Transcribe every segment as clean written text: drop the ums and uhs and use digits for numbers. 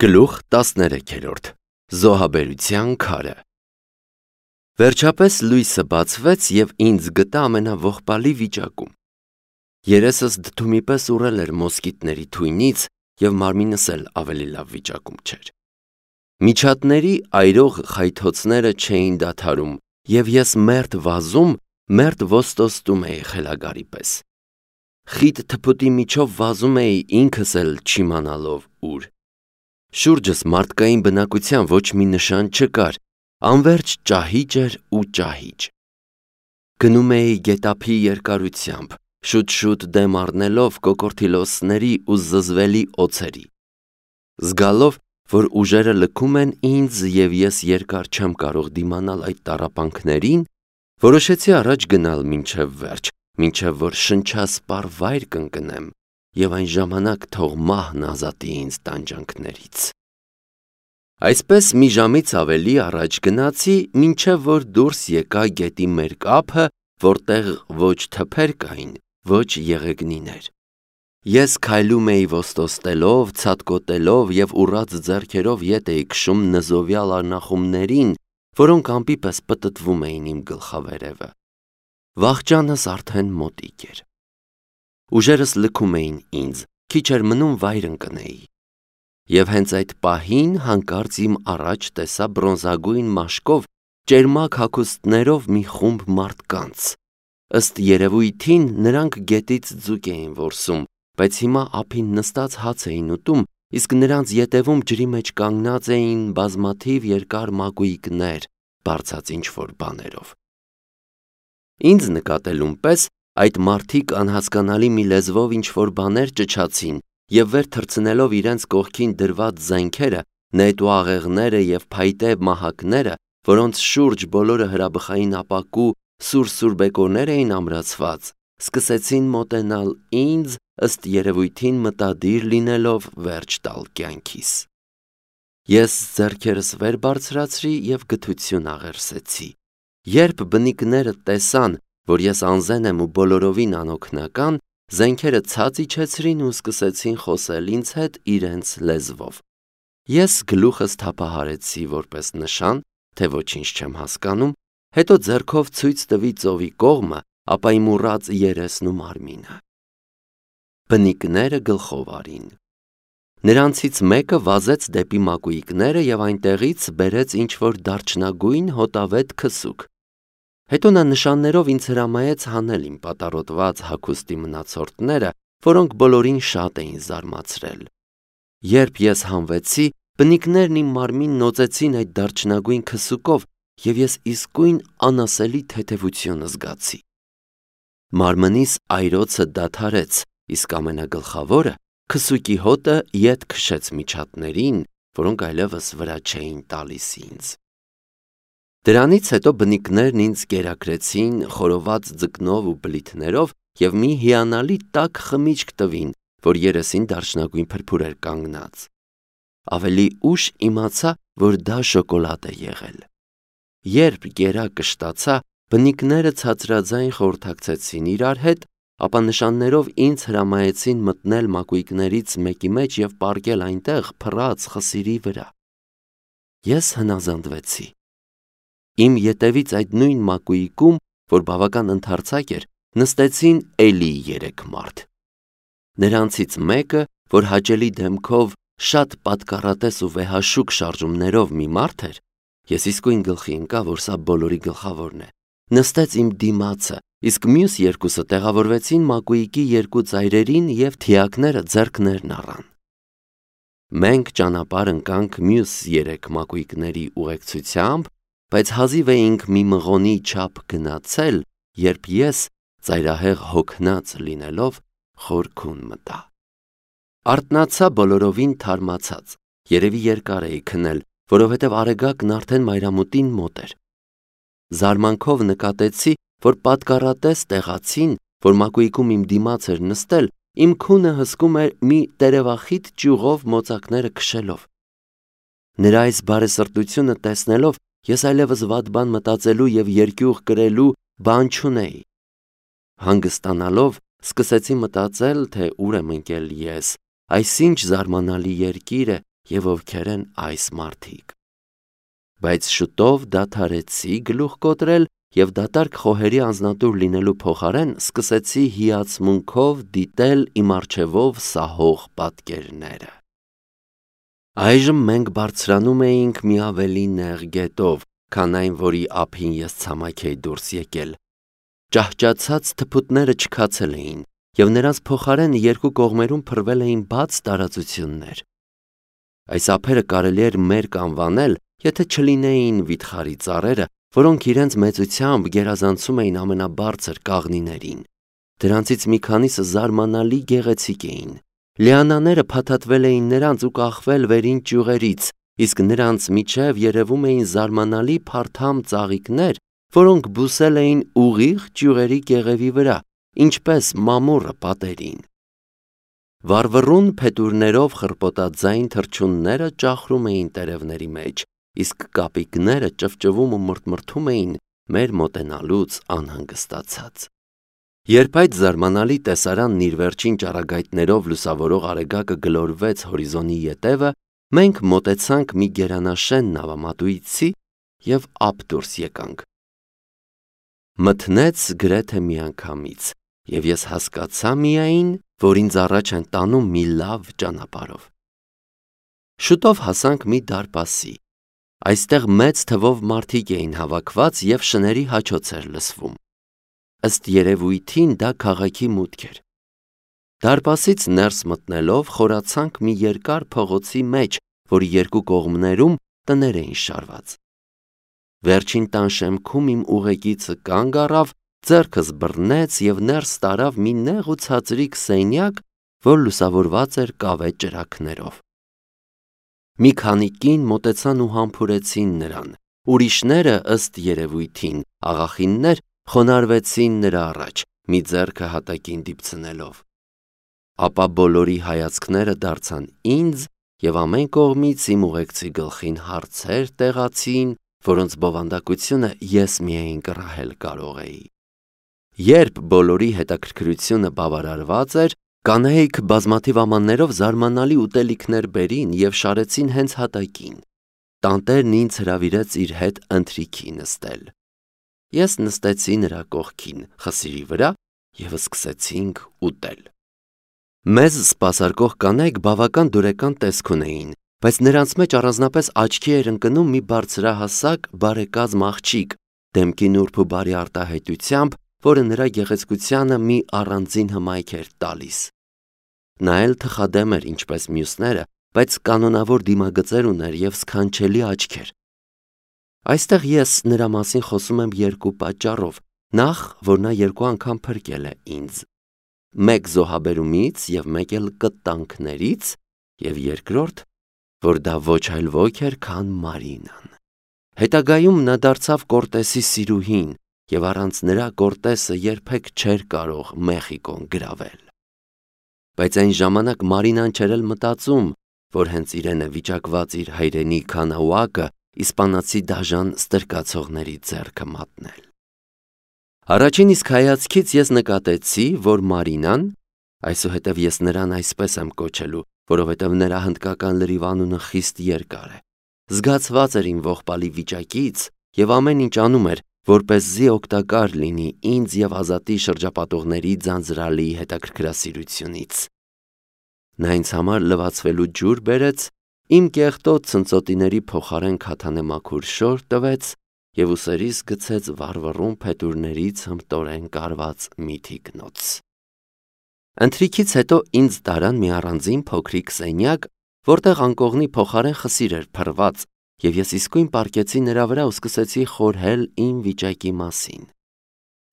Գլուխ 13 Զոհաբերության քարը Վերջապես լույսը բացվեց և ինձ գտա ամենաողբալի վիճակում։ Երեսս դդումի պես ուռել էր մոսկիտների թույնից և մարմինս էլ ավելի լավ վիճակում չէր։ Միջատների այրող խայթոցները չէին դադարում և ես մերթ վազում, մերթ ոստոստում էի խելագարի պես։ Խիտ թփուտի միջով վազում էի ինքս էլ չիմանալով ուր։ Շուրջս մարդկային բնակության ոչ մի նշան չկար, անվերջ ճահիճ էր ու ճահիճ։ Գնում էի գետափի երկարությամբ, շուտ-շուտ դեմ առնելով կոկորդիլոսների ու զզվելի օձերի։ Զգալով, որ ուժերը լքում են ինձ և ես երկար չեմ կարող դիմանալ այդ տառապանքներին, որոշեցի առաջ գնալ մինչև վերջ, մինչև որ շնչասպառ վայր կընկնեմ և այն ժամանակ թող մահն ազատի ինձ տանջանքներից։ Այսպես մի ժամից ավելի առաջ գնացի, մինչև որ դուրս եկա գետի մերկ ափը, որտեղ ոչ թփեր կային, ոչ եղեգնիներ։ Ես քայլում էի ոստոստելով, ցատկոտելով և ուռած ձեռքերով ետ էի քշում նզովյալ արնախումներին, որոնք ամպի պես պտտվում էին իմ գլխավերևը։ Վախճանս արդեն մոտիկ էր։ Ուժերս լքում էին ինձ, քիչ էր մնում վայր ընկնեի։ Եվ հենց այդ պահին հանկարծ իմ առաջ տեսա բրոնզագույն մաշկով, ճերմակ հագուստներով մի խումբ մարդկանց։ Ըստ երևույթին նրանք գետից ձուկ էին որսում, բայց հիմա ափին նստած հաց էին ուտում, իսկ նրանց ետևում ջրի մեջ կանգնած էին բազմաթիվ երկար մակույկներ, բարձած ինչ-որ բաներով։ Ինձ նկատելուն պես այդ մարդիկ անհասկանալի մի լեզվով ինչ-որ բաներ ճչացին և վեր թռցնելով իրենց կողքին դրված զենքերը, նետու աղեղները և փայտե մահակները, որոնց շուրջ բոլորը հրաբխային ապակու սուր բեկորներ էին ամրացված, սկսեցին մոտենալ ինձ, ըստ երևույթին մտադիր լինելով վերջ տալ կյանքիս։ Ես ձեռքերս վեր բարձրացրի և գթություն աղերսեցի։ Երբ բնիկները տեսան, որ ես անզեն եմ ու բոլորովին անօգնական, զենքերը ցած իջեցրին ու սկսեցին խոսել ինձ հետ իրենց լեզվով։ Ես գլուխս թափահարեցի որպես նշան, թե ոչինչ չեմ հասկանում, հետո ձեռքով ցույց տվի ծովի կողմը, ապա իմ ուռած երեսն ու մարմինը։ Բնիկները գլխով արին։ Նրանցից մեկը վազեց դեպի մակույկները և այնտեղից բերեց ինչ-որ դարչնագույն հոտավետ քսուկ։ Հետո նա նշաններով ինձ հրամայեց հանել իմ պատառոտված հագուստի մնացորդները, որոնք բոլորին շատ էին զարմացրել։ Երբ ես հանվեցի, բնիկներն իմ մարմինն օծեցին այդ դարչնագույն քսուկով և ես իսկույն անասելի թեթևություն զգացի։ Մարմնիս այրոցը դադարեց, իսկ ամենագլխավորը քսուկի հոտը ետ քշեց միջատներին, որոնք այլևս վրա չէին տալիս ինձ։ Դրանից հետո բնիկներն ինձ կերակրեցին խորոված ձկնով ու բլիթներով և մի հիանալի տաք խմիչք տվին, որ երեսին դարչնագույն փրփուր էր կանգնած։ Ավելի ուշ իմացա, որ դա շոկոլադ է եղել։ Երբ գերակը շտացա, բնիկները ցածրաձայն խորհրդակցեցին իրար հետ, ապա նշաններով ինձ հրամայեցին մտնել մակույկներից մեկի մեջ և պառկել այնտեղ փռած խսիրի վրա։ Ես հնազանդվեցի։ Իմ ետևից այդ նույն մակույկում, որ բավական ընդարձակ էր, նստեցին էլի 3 մարդ։ Նրանցից մեկը, որ հաճելի դեմքով, շատ պատկառատես ու վեհաշուկ շարժումներով մի մարդ էր, ես իսկույն գլխի ընկա, որ սա բոլորի գլխավորն է, նստեց իմ դիմացը, իսկ մյուս երկուսը տեղավորվեցին մակույկի երկու ծայրերին և թիակները ձեռքներն առան։ Մենք ճանապարհ ընկանք մյուս 3 մակույկների ուղեկցությամբ, բայց հազիվ էինք մի մղոնի չափ գնացել, երբ ես, ծայրահեղ հոգնած լինելով, խորքուն մտա։ Արթնացա բոլորովին թարմացած, երևի երկար էի քնել, որովհետև Արեգակն արդեն մայրամուտին մոտ էր։ Զարմանքով նկատեցի, որ պատկառատես տեղացին, որ մակույկում իմ դիմաց էր նստել, իմ քունը հսկում էր մի տերևախիտ ճյուղով մոծակները քշելով։ Նրա այս բարեսրտությունը տեսնելով, ես այլևս վատ բան մտածելու և երկյուղ կրելու բան չունեի։ Հանգստանալով, սկսեցի մտածել, թե ուր եմ ընկել ես, այս ինչ զարմանալի երկիր է եւ ովքեր են այս մարդիկ։ Բայց շուտով դադարեցի գլուխ կոտրել եւ դատարկ խոհերի անձնատուր լինելու փոխարեն սկսեցի հիացմունքով դիտել իմ առջևով սահող պատկերները։ Այժմ մենք բարձրանում էինք մի ավելի նեղ գետով, քան այն, որի ափին ես ցամաք էի դուրս եկել։ Ճահճացած թփուտները չքացել էին, եւ նրանց փոխարեն երկու կողմերում փռվել էին բաց տարածություններ։ Այս ափերը կարելի էր մերկ անվանել, եթե չլինեին վիթխարի ծառերը, որոնք իրենց մեծությամբ գերազանցում էին ամենաբարձր կաղնիներին։ Դրանցից մի քանիսը զարմանալի գեղեցիկ էին։ Լիանաները փաթաթվել էին նրանց ու կախվել վերին ճյուղերից, իսկ նրանց միջև երևում էին զարմանալի փարթամ ծաղիկներ, որոնք բուսել էին ուղիղ ճյուղերի կեղևի վրա, ինչպես մամուռը պատերին։ Վառվռուն փետուրներով խրպոտաձայն թռչունները ճախրում էին տերևների մեջ, իսկ կապիկները ճվճվում ու մրթմրթում էին մեր մոտենալուց անհանգստացած։ Երբ այդ զարմանալի տեսարանն իր վերջին ճառագայթներով լուսավորող արեգակը գլորվեց հորիզոնի ետևը, մենք մոտեցանք մի գերանաշեն նավամատույցի եւ ափ դուրս եկանք։ Մթնեց գրեթե միանգամից, եւ ես հասկացա միայն, որ ինձ առաջ են տանում մի լավ ճանապարհով։ Շուտով հասանք մի դարպասի։ Այստեղ մեծ թվով մարդիկ էին հավաքված եւ շների հաչոց էր լսվում։ Ըստ երևույթին դա քաղաքի մուտք էր։ Դարպասից ներս մտնելով խորացանք մի երկար փողոցի մեջ, որի երկու կողմերում տներ էին շարված։ Վերջին տան շեմքում իմ ուղեկիցը կանգ առավ, ձեռքս բռնեց եւ ներս տարավ մի նեղ ու ցածրիկ սենյակ, որ լուսավորված էր կավե ճրագներով։ Մի քանի կին մոտեցան ու համբուրեցին նրան, ուրիշները ըստ երևույթին աղախիններ խոնարհվեցին նրա առաջ, մի ձեռքը հատակին դիպցնելով։ Ապա բոլորի հայացքները դարձան ինձ եւ ամեն կողմից իմ ուղեկցի գլխին հարցեր տեղացին, որոնց բովանդակությունը ես միայն կռահել կարող էի։ Երբ բոլորի հետաքրքրությունը բավարարված էր, կանայք բազմաթիվ ամաններով զարմանալի ուտելիքներ բերին եւ շարեցին հենց հատակին։ Տանտերն ինձ հրավիրեց իր հետ ընթրիքի նստել։ Ես նստեցի նրա կողքին, խսիրի վրա եւ սկսեցինք ուտել։ Մեզ սպասարկող կանայք բավական դուրեկան տեսք ունեին, բայց նրանց մեջ առանձնապես աչքի էր ընկնում մի բարձրահասակ բարեկազմ աղջիկ, դեմքի նուրբ ու բարի արտահայտությամբ, որը նրա գեղեցկությանը մի առանձին հմայք էր տալիս։ Նա էլ թխադեմ էր ինչպես մյուսները, բայց կանոնավոր դիմագծեր ուներ եւ սքանչելի աչքեր։ Այստեղ ես նրա մասին խոսում եմ երկու պատճառով. նախ, որ նա երկու անգամ փրկել է ինձ, մեկ զոհաբերումից եւ մեկ էլ կտանքներից, եւ երկրորդ, որ դա ոչ այլ ոք էր, քան Մարինան։ Հետագայում նա դարձավ Կորտեսի սիրուհին եւ առանց նրա Կորտեսը երբեք չէր կարող Մեխիկոն գրավել։ Բայց այն ժամանակ Մարինան չէր էլ մտածում, որ հենց իրեն է վիճակված իր հայրենի Քանաուակը իսպանացի դաժան ստրկացողների ձեռքը մատնել։ Առաջին իսկ հայացքից ես նկատեցի, որ Մարինան, այսուհետև ես նրան այսպես եմ կոչելու, որովհետև նրա հնդկական լրիվ անունը խիստ երկար է, զգացված էր իմ ողբալի վիճակից եւ ամեն ինչ անում էր, որպեսզի օգտակար լինի ինձ եւ Ազատի շրջապատողների ձանձրալի հետաքրքրասիրությունից։ Նա ինձ համար լվացվելու ջուր բերեց, իմ կեղտոտ ցնծոտիների փոխարեն քաթանե մաքուր շոր տվեց եւ ուսերիս գցեց վառվռուն փետուրներից հմտորեն կարված մի թիկնոց։ Ընթրիքից հետո ինձ տարան մի առանձին փոքրիկ սենյակ, որտեղ անկողնի փոխարեն խսիր էր փռված, եւ ես իսկույն պառկեցի նրա վրա ու սկսեցի խորհել իմ վիճակի մասին։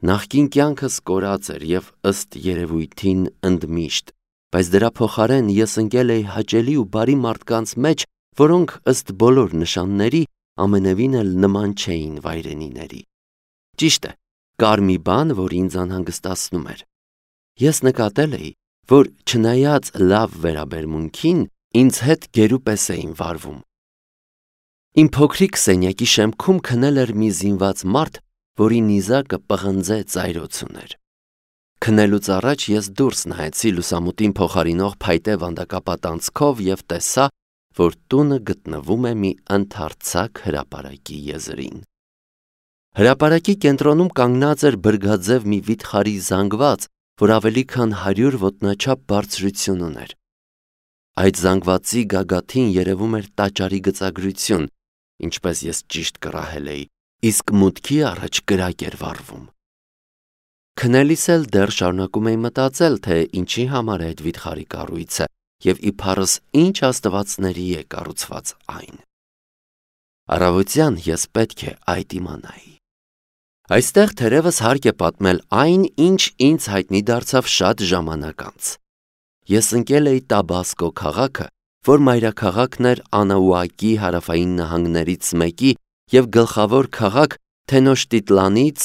Նախկին կյանքս կորած էր եւ ըստ երևույթին ընդմիշտ, բայց դրա փոխարեն ես ընկել էի հաճելի ու բարի մարդկանց մեջ, որոնք ըստ բոլոր նշանների ամենևին էլ նման չէին վայրենիների։ Ճիշտ է, կար մի բան, որ ինձ անհանգստացնում էր։ Ես նկատել էի, որ չնայած լավ վերաբերմունքին, ինձ հետ գերուպես էին վարվում։ Իմ փոքրիկ սենյակի շեմքում քնել էր մի զինված մարդ, որի նիզակը պղնձե ծայրոց ուներ։ Քնելուց առաջ ես դուրս նայեցի լուսամուտին փոխարինող փայտե վանդակապատ անցքով եւ տեսա, որ տունը գտնվում է մի ընդարձակ հրապարակի եզրին։ Հրապարակի կենտրոնում կանգնած էր բրգաձև մի վիթխարի զանգված, որ ավելի քան 100 ոտնաչափ բարձրություն ուներ։ Այդ զանգվածի գագաթին երևում էր տաճարի գծագրություն, ինչպես ես ճիշտ կռահել էի, իսկ մուտքի առաջ կրակ էր վառվում։ Քնելիս էլ դեռ շարունակում էի մտածել, թե ինչի համար է այդ վիթխարի կառույցը և իբարս ինչ աստվածների է կառուցված այն։ Առավոտյան ես պետք է այդ իմանայի։ Այստեղ թերևս հարկ է պատմել այն, ինչ ինձ հայտնի դարձավ շատ ժամանակ անց։ Ես ընկել էի Տաբասկո քաղաքը, որ մայրաքաղաքն էր Անաուակի հարավային նահանգներից մեկի և գլխավոր քաղաք Թենոշտիտլանից,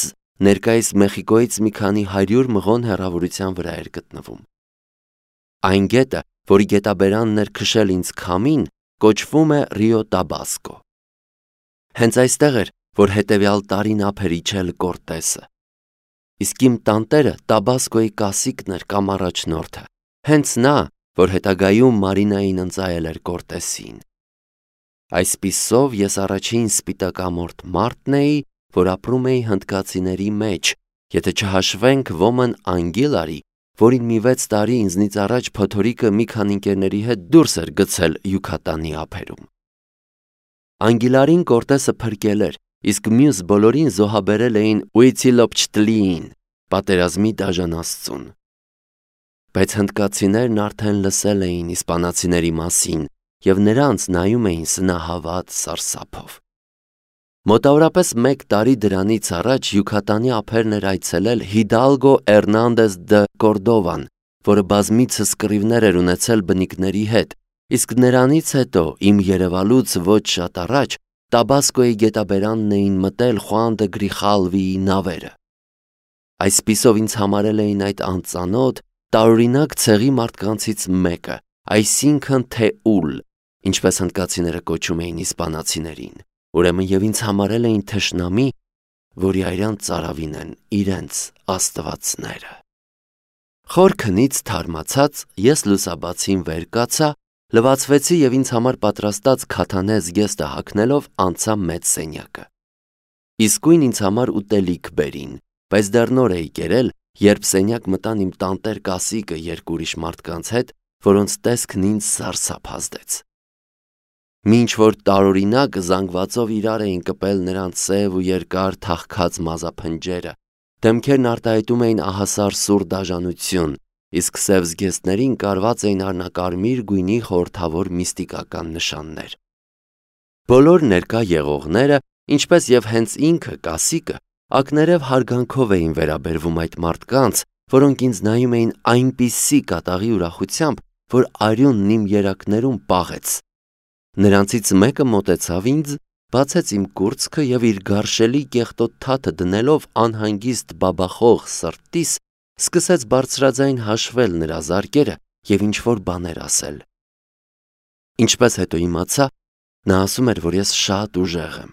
ներկայիս Մեխիկոյից մի քանի 100 մղոն հեռավորության վրա էր գտնվում։ Այն գետը, որի գետաբերանն էր քշել ինձ քամին, կոչվում է Ռիո Տաբասկո։ Հենց այստեղ էր, որ հետևյալ տարին ափ էր իջել Կորտեսը։ Իսկ իմ տանտերը Տաբասկոյի կասիկն էր կամ առաջնորդը, հենց նա, որ հետագայում Մարինային ընծայել էր Կորտեսին։ Այսպիսով ես առաջին սպիտակամորթ մարդն էի, որ ապրում էի հնդկացիների մեջ, եթե չհաշվենք Ոմն Անգիլարի, որին մի 6 տարի ինձնից առաջ փոթորիկը մի քանի ընկերների հետ դուրս էր գցել Յուքատանի ափերում։ Անգիլարին Կորտեսը փրկել էր, իսկ մյուս բոլորին զոհաբերել էին Ուիցիլոպչտլիին, պատերազմի դաժանաստծուն։ Բայց հնդկացիներն արդեն լսել էին իսպանացիների մասին և նրանց նայում էին սնահավատ սարսափով։ Մոտավորապես 1 տարի դրանից առաջ Յուքատանի ափերն էր այցելել Հիդալգո Էրնանդես դը Կորդովան, որը բազմիցս կռիվներ էր ունեցել բնիկների հետ, իսկ նրանից հետո իմ երևալուց ոչ շատ առաջ Տաբասկոյի գետաբերանն էին մտել Խուան դը Գրիխալվիի նավերը։ Այսպիսով ինձ համարել էին այդ անծանոթ, տարօրինակ ցեղի մարդկանցից մեկը, այսինքն թեուլ, ինչպես հնդկացիները կոչում էին իսպանացիներին, ուրեմն և ինձ համարել էին թշնամի, որի արյան ծարավին են իրենց աստվածները։ Խոր քնից թարմացած ես լուսաբացին վեր կացա, լվացվեցի և ինձ համար պատրաստած քաթանե զգեստը հագնելով անցա մեծ սենյակը։ Իսկույն ինձ համար ուտելիք բերին, բայց դեռ նոր էի կերել, երբ սենյակ մտան իմ տանտեր կասիկը 2 ուրիշ մարդկանց հետ, որոնց տեսքն ինձ սարսափ ազդեց։ Մինչ որ տարօրինակ զանգվածով իրար էին կպել նրանց սև ու երկար թախքած մազափնջերը, դեմքերն արտահայտում էին ահասար սուր դաժանություն, իսկ սև զգեստներին կարված էին արնակարմիր գույնի խորհրդավոր միստիկական նշաններ։ Բոլոր ներկա եղողները, ինչպես և հենց ինքը կասիկը, ակներև հարգանքով էին վերաբերվում այդ մարդկանց, որոնք ինձ նայում էին այնպիսի կատաղի ուրախությամբ, որ արյունն իմ երակներում պաղեց։ Նրանցից մեկը մոտեցավ ինձ, բացեց իմ կուրծքը և իր գարշելի կեղտոտ թաթը դնելով անհանգիստ բաբախող սրտիս, սկսեց բարձրաձայն հաշվել նրա զարկերը և ինչ-որ բաներ ասել։ Ինչպես հետո իմացա, նա ասում էր, որ ես շատ ուժեղ եմ։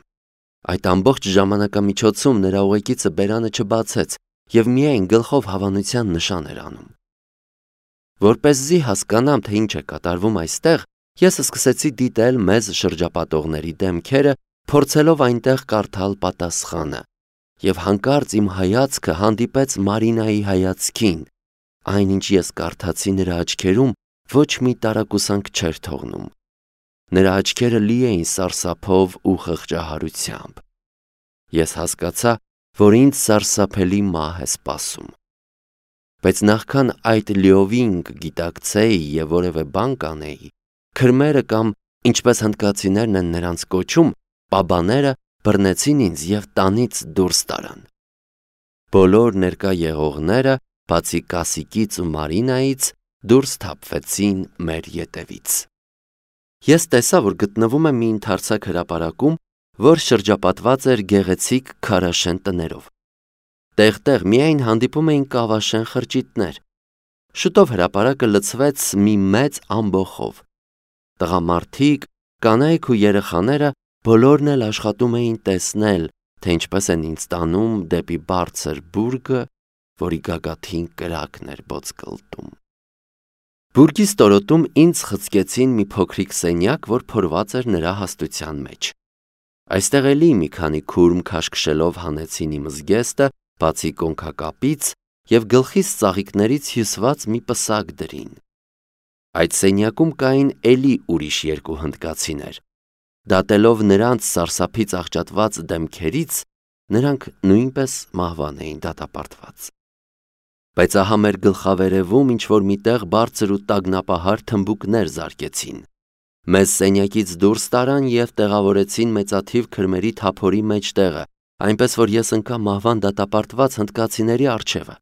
Այդ ամբողջ ժամանակամիջոցում նրա ուղեկիցը բերանը չբացեց և միայն գլխով հավանության նշան էր անում։ Որպեսզի հասկանամ, թե ինչ է կատարվում այստեղ, ես սկսեցի դիտել մեզ շրջապատողների դեմքերը, փորձելով այնտեղ կարդալ պատասխանը, և հանկարծ իմ հայացքը հանդիպեց Մարինայի հայացքին, այնինչ ես կարդացի նրա աչքերում ոչ մի տարակուսանք չէր թողնում։ Նրա աչքերը լի էին սարսափով ու խղճահարությամբ։ Ես հասկացա, որ ինձ սարսափելի մահ է սպասում։ Բայց նախքան այդ լիովին կգիտակցեի և որևէ բան կանեի, քրմերը կամ, ինչպես հնդկացիներն են նրանց կոչում, պաբաները բռնեցին ինձ և տանից դուրս տարան։ Բոլոր ներկա եղողները, բացի կասիկից ու Մարինայից, դուրս թափվեցին մեր ետևից։ Ես տեսա, որ գտնվում եմ մի ընդարձակ հրապարակում, որ շրջապատված էր գեղեցիկ քարաշեն տներով։ Տեղ-տեղ միայն հանդիպում էին կավաշեն խրճիթներ։ Շուտով հրապարակը լցվեց մի մեծ ամբոխով։ Տղամարդիկ, կանայք ու երեխաները բոլորն էլ աշխատում էին տեսնել, թե ինչպես են ինձ տանում դեպի բարձր բուրգը, որի գագաթին կրակն էր բոցկլտում։ Բուրգի ստորոտում ինձ խցկեցին մի փոքրիկ սենյակ, որ փորված էր նրա հաստության մեջ։ Այստեղ էլի մի քանի քուրմ քաշքշելով հանեցին իմ զգեստը, բացի կոնքակապից եւ գլխիս ծաղիկներից հյուսված մի պսակ դրին։ Այդ սենյակում կային էլի ուրիշ երկու հնդկացիներ։ Դատելով նրանց սարսափից աղճատված դեմքերից, նրանք նույնպես մահվան էին դատապարտված։ Բայց ահա մեր գլխավերևում ինչ-որ միտեղ բարձր ու տագնապահար թմբուկներ զարկեցին։ Մեզ սենյակից դուրս տարան և տեղավորեցին մեծաթիվ քրմերի թափորի մեջտեղը, այնպես որ ես ընկա մահվան դատապարտված հնդկացիների առջևը։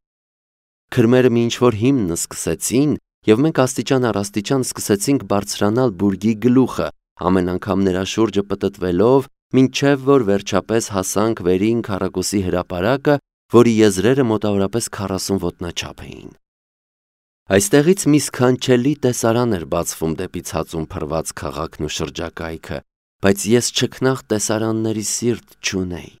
Քրմերը մի ինչ-որ հիմն սկսեցին, և մենք աստիճան առ աստիճան սկսեցինք բարձրանալ բուրգի գլուխը, ամեն անգամ նրա շուրջը պտտվելով, մինչև որ վերջապես հասանք վերին քառակուսի հրապարակը, որի եզրերը մոտավորապես 40 ոտնաչափ էին։ Այստեղից մի սքանչելի տեսարան էր բացվում դեպի ցածուն փռված քաղաքն ու շրջակայքը, բայց ես չքնաղ տեսարանների սիրտ չունեի։